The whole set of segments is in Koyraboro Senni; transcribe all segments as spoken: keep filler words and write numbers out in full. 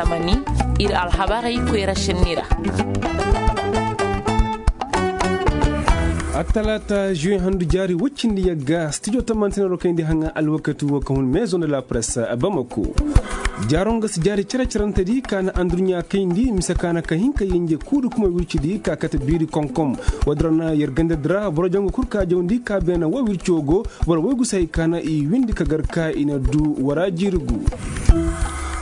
Mani, ir alhabarey koyra šenni ra. Attalaata žuwe handu jaari woy cindi yagga stijo tammantinaro kayndi haŋa alwakati wo ka hun maison de la presse, bamako. Jaaro nga si jaari cere-cerentedi ka na anduɲɲa kayndi mise ka na ka hin ka yenje kuuri kuma wircidi ka kate biiri konkom. Woodin ra na yer gandadi ra boro jangu kul ka jawndi ka beene wo wirco go. Boro woy gu si hay ka na i windi ka gar ka i na du wara jiiri gu.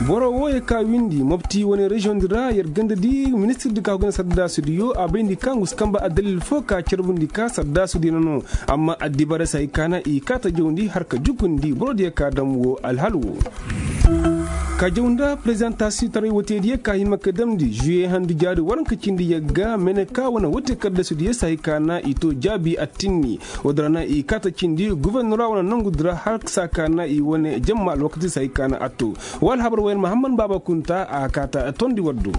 Boro wooyey ka windi mopti wane reziyoŋdi ra yer gandadi ministirdi ka go ga na sardaasudiyo a bayndi ka ngu si kamba addalil fo ka carbundi ka sardaasudiyo na no. Amma addibaarey si hay ka na i kaata jawndi har ka jukundi borodiyo ka dam woo alhal woo. Ka jaw nda prezidantasiyoŋ taray woteediyo ka hima ka damndi žuwe handu jaari waranka cindi yagga mene ka wane wote kaddasudiyo si hay ka na i too jaabi attinni. Woodin ra na i kaata cindi gubernora wane nongudi ra har saa ka na i wane jamma alwakati si hay ka na a too. Woo alhabar wooyaŋ mahamman baaba kunta a kaata tondi war do.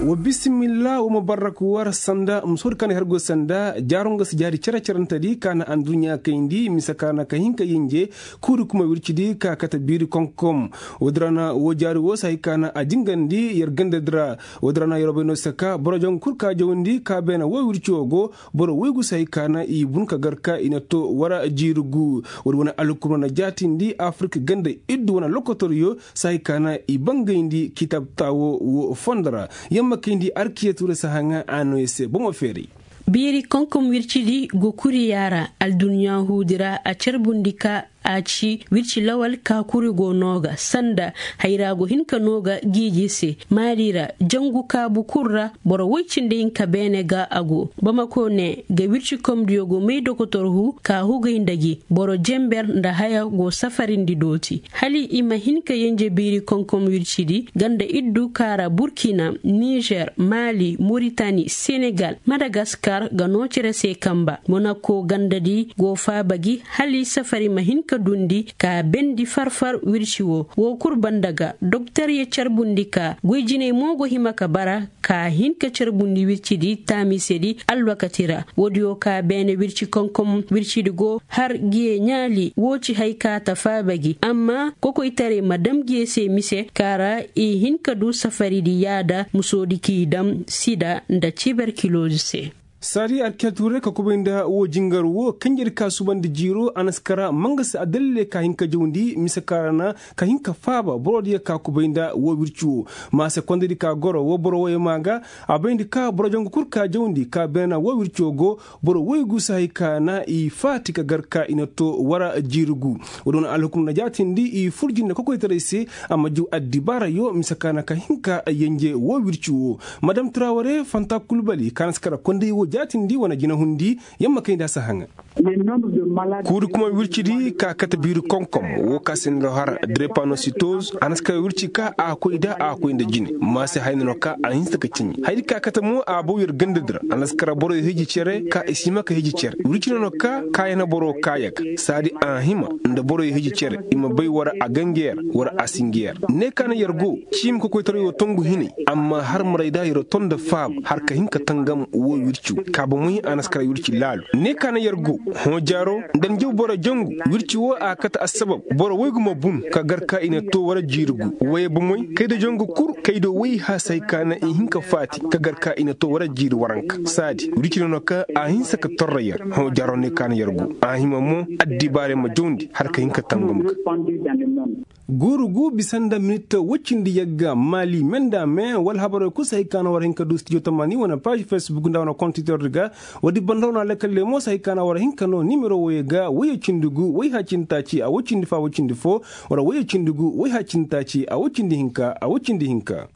Wa bisimilla wa mubarak war sanda musoodi ka na i har go sanda jaaro nga si jaari cere-cerentedi ka na anduɲɲa kayndi mise ka na ka hin ka yenje. Kuuri kuma wircidi ka kate biiri konkom. Woodin ra na woo jaari woo si hay ka na a jingandi yer gandadi ra. Woodin ra na yer bay no si ka boro jaŋ kul ka jawndi ka beene woo wirco go. Boro woy gu si hay ka na i bun ka gar ka i na too wara jiiri gu. Woodi wane alhukum ra na jaatindi afirik ganda iddu wane lokotoryo si hay ka na i bangayndi kitab taawo woo fondo ra. Yamma kayndi arkiyetu ra si haŋa a no ya se bomo feeray. Biiri konkom wircidi go kuriya ra alduɲɲaahuudi ra a carbundi ka a ci wirci lawal ka kuri go noo ga sanda hayra go hin ka noo ga giiji se maali ra jangu kaabu kul ra. Boro woy cindi hinka beene ga a go bamako ne ga wirci komdiyo go may dokotorhu ka hugay nda gi boro jenber nda haya go safarindi dooti hala i ma hin ka yenje biiri konkom wircidi ganda iddu ka ra burkina nizer maali moritani senegal madagaskar ga noo cere se kamba monako gandadi go faaba gi hala i safari ma hin ka duundi ka bendi far-far wirci woo woo kul banda ga doktor ye carbundi ka goy jinay mo go hima ka bara ka hin ka carbundi wircidi taamisedi alwakati ra woodiyo ka beene wirci konkom wircidi go har giye ɲaali woo ci hay ka ta faaba gi amma kokoytaray ma dam giye se mise ka ra i hin ka du safaridi yaada musoodi k'i dam sida nda tiberkiloz se. Saadi alkiyatuure ka kubay nda woo jingar woo kanjedi ka subandi jiiro a na si kara mangasi addaliley ka hin ka jawndi mise ka ra na ka hin ka faaba borodiyo ka kubay nda woo wirci woo. Ma se kondedi ka goro woo boro wooyey maa ga a bayndi ka boro jangu kul ka jawndi ka beena woo wirco go. Boro woy gu si hay ka na i faati ka gar ka i na too wara jiiri gu. Woodi wane alhukum na jaatindi i furji nda kokoytaray se. A ma jaw addibaarayo mise ka na ka hin ka yenje woo wirci woo. Madam traware fanta kulbali ka na si kara konday woo jaatindi wane jinahundi. Yamma kayndi a si haŋa. Kuuri kuma wircidi ka kate biiri konkom woo ka se ni ra har drepanositoz a na si kay wirci ka a koy da a koy nda jine. Ma se hayna no ka a hinsa ka ciɲi haydi ka kate mo a bow yer gandadi ra a na si kara boroyo hiji cere ka i si hima ka hiji cere wirci no no ka kaayana boro kaayaga saadi a hima nda boroyo hiji cere i ma bay wara a gangeer wara a singeer. Ne ka na yer go ciimi kokoytarayo tongu hinay amma har maray da yer ton nda faaba har ka hin ka tangam woo wirci wey ka bomoy a na si kara wirci laalu ne ka na yer go. Hõ jaaro nda ni jaw boro jangu wirci woo a kate assabab boro woy gu ma bun ka gar ka i na too wara jiiri gu woyey bomoy kayda jangu kul kayda woy haasay ka na i hin ka faati ka gar ka i na too wara jiiri waranka saadi wirci no no ka a hinsa ka torra yer. Hõ jaaro ne ka na yer go a hima mo addibaarey ma jawndi har ka hin ka tangam ga. Guuru gu bisa nda minit woy cindi yagga maali me nda me wala habarey kul si hay ka na war hin ka du stijo tamaani wane paaž fesbuk nda wane kontitordi ga. Woodi banda wane alakalley mo si hay ka na war hin ka noo nimero woyey ga woyey cindi gu woy haya cindi taaci a woy cindi fo a woy cindi fo wala woyey cindi gu woy haya cindi taaci a woy cindi hinka a woy cindi hinka.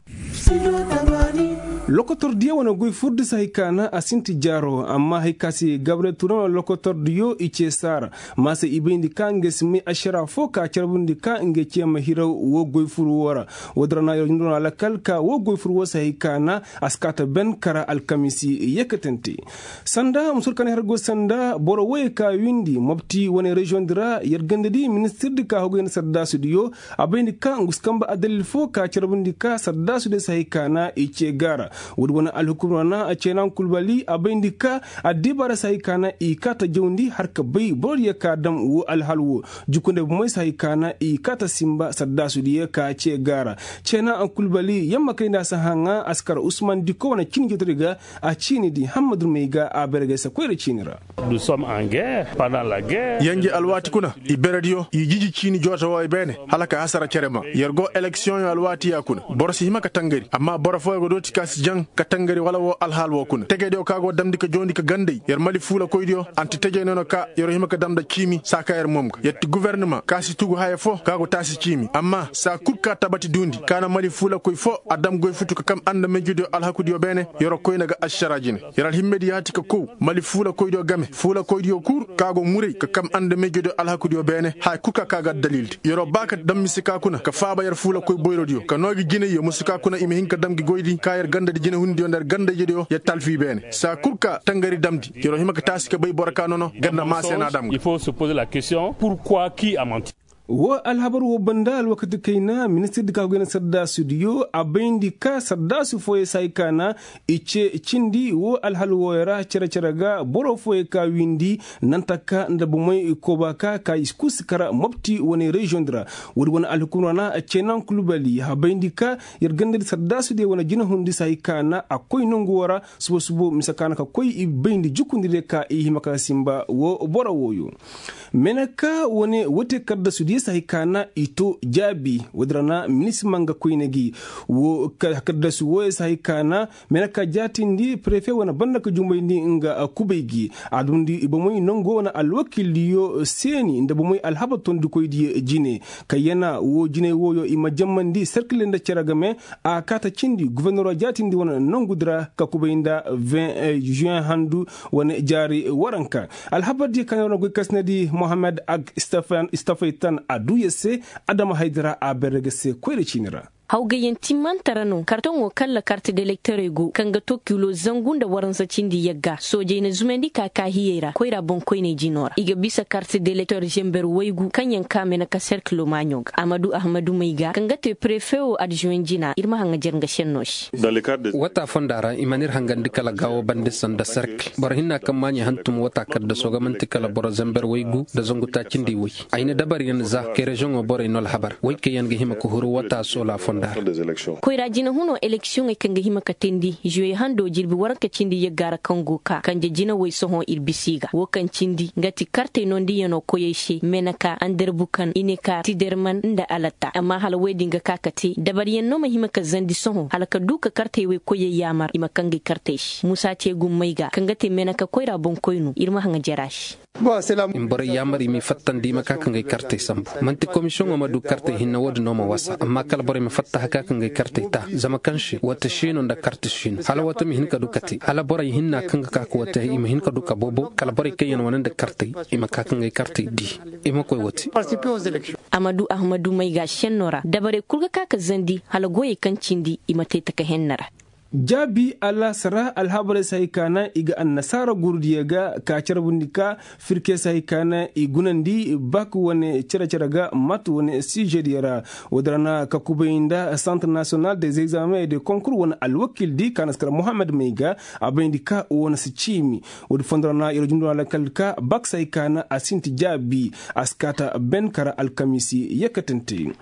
Lokotordiyo wane goy furdi si hay ka na a sinti jaaro amma hay ka se gabriyel turan wane lokotordiyo i cee saara. Ma se i bayndi ka ngey si may ašara fo ka carbundi ka ngey cee ma hiraw woo goy fur woo ra. Woodi ra na yer ɲundu wane alakal ka woo goy fur woo si hay ka na a si kaa ta ben kara alkamisi yeekatante. Sanda musoodi ka na i har go sanda boro woyey ka windi mopti wane reziyoŋdi ra yer gandadi ministirdi ka hogay nda sardaasudiyo. A bayndi ka ngu si kamba addalil fo ka carbundi ka sardaasudiyo si hay ka na i cee gaara. Woodi wane alhukum ra na ceenan kulbali a bayndi ka addibaara si hay ka na i kaata jawndi har ka bay borodiyo ka dam woo alhal woo. Jukunday bomey si hay ka na i kaata sinba sardaasudiyo ka cee gaara. Ceenan kulbali yamma kay nda a si haŋa a si kar usman diko wane ciini jootodi ga. A ciini di hammadu may ga a bayra gay se koyra ciini ra. Yanji alwaati kuna i berediyo i jiji ciini joota wooyo beene hala ka hasara cere ma yer go eleksiyoŋyo alwaati ya kuna. Boro si hima ka tangari amma boro fooyo ga dooti ka si jaŋ ka tangari wala woo alhaal woo kuna tegediyo ka go damndi ka joondi ka ganday yer mali fuulakoydiyo anti tejey noona ka yer hima ka dam nda ciimi saa ka yer moom ga yer ti gubernama ka si tugu haya foo ka go taasi ciimi amma saa kul ka tabati duundi ka na mali fuulakoy foo a dam goy futu ka kam andamejediyo alhakudiyo beene. Yer koyna ga ašara jine yer alhimmedi yaati ka kow mali fuulakoydiyo game fuulakoydiyo kul ka go muray ka kam andamejediyo alhakudiyo beene haya kul ka ka ga addalildi yer ba ka dam mise ka kuna ka faaba yer fuulakoy boyrodiyo ka noo gi jinayyo musu ka kuna i ma hin ka dam gi goydi ka yer gandadi jinehundiyo nda yer gandayjediyo yer talfi beene saa kul ka tangari damndi yer hima ka taasi ka bay boro ka nono ganda maase na a dam ga. Woo alhabar woo banda alwakati kayna ministirdi ka goy na sardaasudiyo a bayndi ka sardaasu fooyey si hay ka na i cee cindi woo alhal wooyo ra cere-cere ga boro fooyey ka wiindi nantaka nda bomey kooba ka ka i kul si kara mopti wane reziyoŋdi ra. Woodi wane alhukum ra na ceenan kulbali a bayndi ka yer gandadi sardaasudiyo wane jinehundi si hay ka na a koy nongu woo ra suba-suba mise ka na ka koy i bayndi jukundidiyo ka i hima ka sinba woo boro wooyo. Meneka wane wote kaddasudiyo si hay ka na i too jaabi woodi ra na minisima nga koyne gi. Woo kaddasu wooyo si hay ka na meneka jaatindi perefe wane banda ka jumbayndi nga kubay gi a dundi bomey nongo wane alwakildiyo seeni nda bomey alhabar tondikoydiyo jine. Ka yana woo jinay wooyo i ma jammandi serkil nda cere game a kaata cindi gubernoro jaatindi wane nongudi ra ka kubay nda vin juwen handu wane jaari waranka. Alhabardiyo ka na wane goy kasinadi mohammed ag stafaytan a duu yer se adama haydi ra a berre ga se koyra ciini ra. Hawgayyaŋ timmante ra no kartoŋo kalla karte delektorey go kaŋ ga to kilo zangu nda waransa cindi yagga soojey na zumandi ka kaahiyey ra koyra boŋkoyney jino ra i ga bisa karte delektor zember waygu kaŋ yaŋ kaame na ka serkilo maaɲo ga amadu ahmadu may ga kaŋ ga te prefe wo adzuwen jina ir ma haŋajer nga senno se. Wata fonda ra i mana ir hangandi kala gaawo bande sanda serkil boro hinna kaŋ maaɲey hantum wata kaddaso ga man'ti kala boro zember waygu nda zangu taaci nda i way. Ay na dabaryaŋ za kay reziyoŋo borey no alhabar way kaŋ yaŋ ga hima ka huru wata soola fonda ra. Koyra jina huno eleksiyoŋey kaŋ ga hima ka teendi zuwe hando jirbi waranka cindi yagga ra kaŋ go ka kanje jina way sohõ ir bisa i ga wo kaŋ cindi nga ti kartey nondiyaŋo koyey se meneka anderbukan ineka tiderman nda alatta amma hala woy din ga ka ka te dabaryaŋ no ma hima ka zandi sohõ hala ka du ka kartey way koyey yaamar i ma kaŋ ga ay kartey se musa te gummey ga kaŋ ga te meneka koyra boŋkoynu ir ma haŋa jera se. Nborey yaamar i m'i fattandi i ma ka ka ngay kartey sambu. Man'ti komisiyoŋo ma du kartey hinne wo-din no ma wasa amma kala borey ma fatta haka ka ngay kartey ta zama kaŋ se wata siino nda karti siino hala wata ma hin ka du ka te hala borey hinna kaŋ ga ka ka wata i ma hin ka du ka bobo kala borey kaŋ yaŋ wane nda kartey i ma ka ka ngay kartey di i ma koy wate. Amadu ahmadu may ga senno ra dabarey kul ga ka ka zandi hala goyey kaŋ cindi i ma te taka henna ra. Jaabi alaasa ra alhabarey si hay ka na i ga annasaara gurudiyo ga ka carbundi ka firke si hay ka na i gunandi bak wane cere-cere ga mat wane sijediyo ra. Woodi ra na ka kubay nda santre nasiyonal des examens et des konkur wane alwakildi ka na si kar mohammed may ga a bayndi ka wane si ciimi. Woodi fondo ra na yer jumdu ra lakkal ka bak si hay ka na a sinti jaabi a si kaata ben kara alkamiisi yekkatante.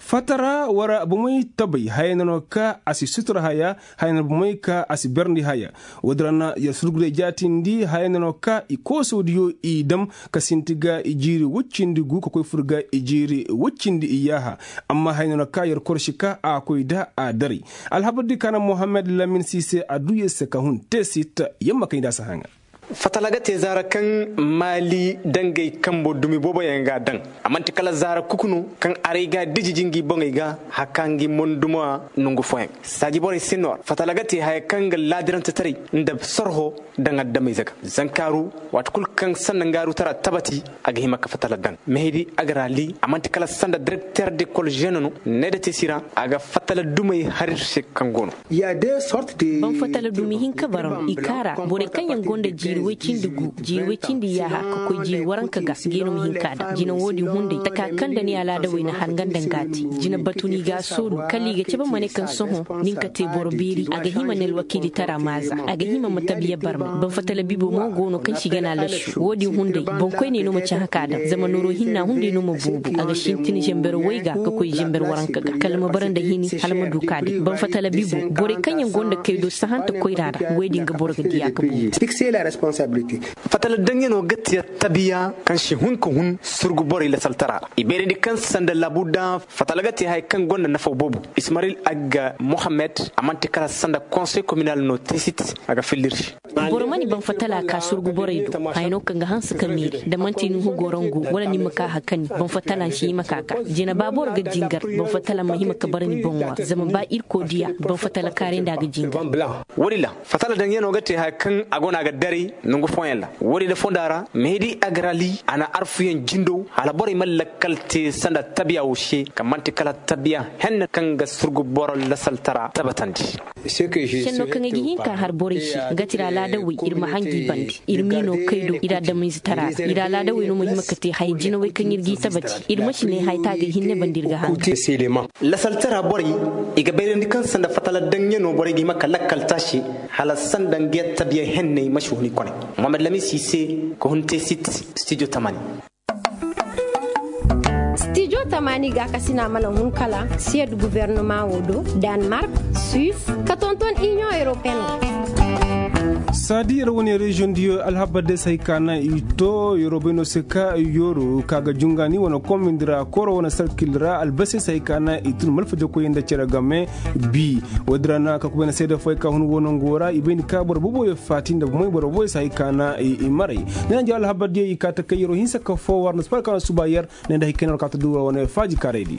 Fatara wara bomey tabay haya na no ka a si sutura haya haya na bomey ka a si berndi haya. Woodi ra na yer surguray jaatindi haya na no ka i koosodiyo i dam ka sinti ga i jiiri woy cindi gu ka koy fur ga i jiiri woy cindi i yaaha. Amma haya na no ka yer korsi ka a koy da a daray. Alhabardi ka na mohammed lamin si se a du yer se ka hun te sit yamma kay nda a si haŋa. Fatala ga te zaara kaŋ maali dangay kambo dumi booboyaŋ ga a daŋ. A man'ti kala zaara kuku no kaŋ aray ga a diji jingi boŋey ga haka ngi mondumo a nongu fooyaŋ saaji borey se noora fatala ga te haya kaŋ ga laadirantetaray nda sorho daŋ addamayze ga. Zankaaru waati kulu kaŋ sanda ngaarutara tabati a ga hima ka fatala daŋ mehedi a ga raali a man'ti kala sanda direkter de kol žene no needa te si ra a ga fatala dumey har ir se kaŋ go no. Ban fatala dumi hinka bara no i kaara borey kaŋ yaŋ gonda jiiri. Way cindi gu, jiiri way cindi yaaha ka koy jiiri waranka ga, ga i no ma hin ka daŋ jina wo-din hunday taka kaŋ nda ni alaadawey na har nga nda nga te. Jina batu no i ga a soolu kala i ga cabe ma ne kaŋ sohõ, nin ka te boro beeri a ga hima ne alwakiilitara maaza a ga hima ma tabiya barmay. Banfatala bibo mo go no kaŋ si gana lasu wo-din hunday boŋkoyney no ma cahã ka daŋ zama nooro hinna hunday no ma boobo a ga sintin zamber way ga ka koy zamber waranka ga kala ma bara nda hini hala ma du ka day banfatala bibo. Borey kaŋ yaŋ go nda kaydo sahanta koyra ra wey din ga boro ga diya ga boobo. Fatala daŋyanoo ga te tabiya kaŋ si hun ka hun surgu borey lasaltara ra i bayrandi kaŋ sanda labuda fatala ga te haya kaŋ gonda nafaw boobo. Ismaril agga mohammed a man'ti kala sanda konsey kominal no teesit a ga filli ir se. Boro ma ni baŋ fatala ka surgu borey do haya no kaŋ ga hanse ka meeri da man'ti nuhu gorongo wala ni ma ka hakani baŋ fatala nsi hima ka ka jina ba boro ga jingar baŋ fatala ma hima ka bara ni boŋo ra zama ba irkoy diya baŋ fatala kaaray nda a ga jingar. Wo-din ra fatala daŋyanoo ga te haya kaŋ a go no a ga daray nangu fooyaŋ ra. Wo-din ra fonda ra mehedi agrali a na arfuyaŋ jindo hala borey ma lakkal te sanda tabiya wo se kaŋ man'ti kala tabiya henne kaŋ ga surgu boro lasaltara tabatandi. Senno kaŋ ay ga hin ka har borey se nga ti ir alaadawey ir ma hangi bande ir m'i no kaydo ir adamize tara ra ir alaadawey no ma hima ka te haya jinawey kaŋ ir g'i tabati ir ma si ne haya ta ga hinne bande ir ga hangi. Lasaltara borey i ga bayrandi kaŋ sanda fatala daŋyanoo borey ga hima ka lakkal taasi hala sanda nga tabiya henney ma si huni kone. Mohamed lamis i se ka hun te sit studio tamani. Stijo tamaani gaakasina mana hun kala siyad gubernama wo do danmark, suisse, ka tonton inion europeen. Saadi yer wane reziyoŋ diyo alhabar day se hay ka naŋ i to yoro bayno se ka yoro ka ga jungaani wane komindi ra koro wane sarkil ra albase se hay ka naŋ i tun malfajakoyey nda cere game. Bi woodin ra no a ka kubay na seede fooyaŋ ka hun wo nango ra i bay ni ka boro booboyaŋ faati nda moy boro booboyaŋ se hay ka naŋ i maray. Ne na jaw alhabar diyo i ka ta kay yero hinsa ka foo war na sipar ka na suba yer ne nda hay kay na war ka ta duura wane faaji kaaray di.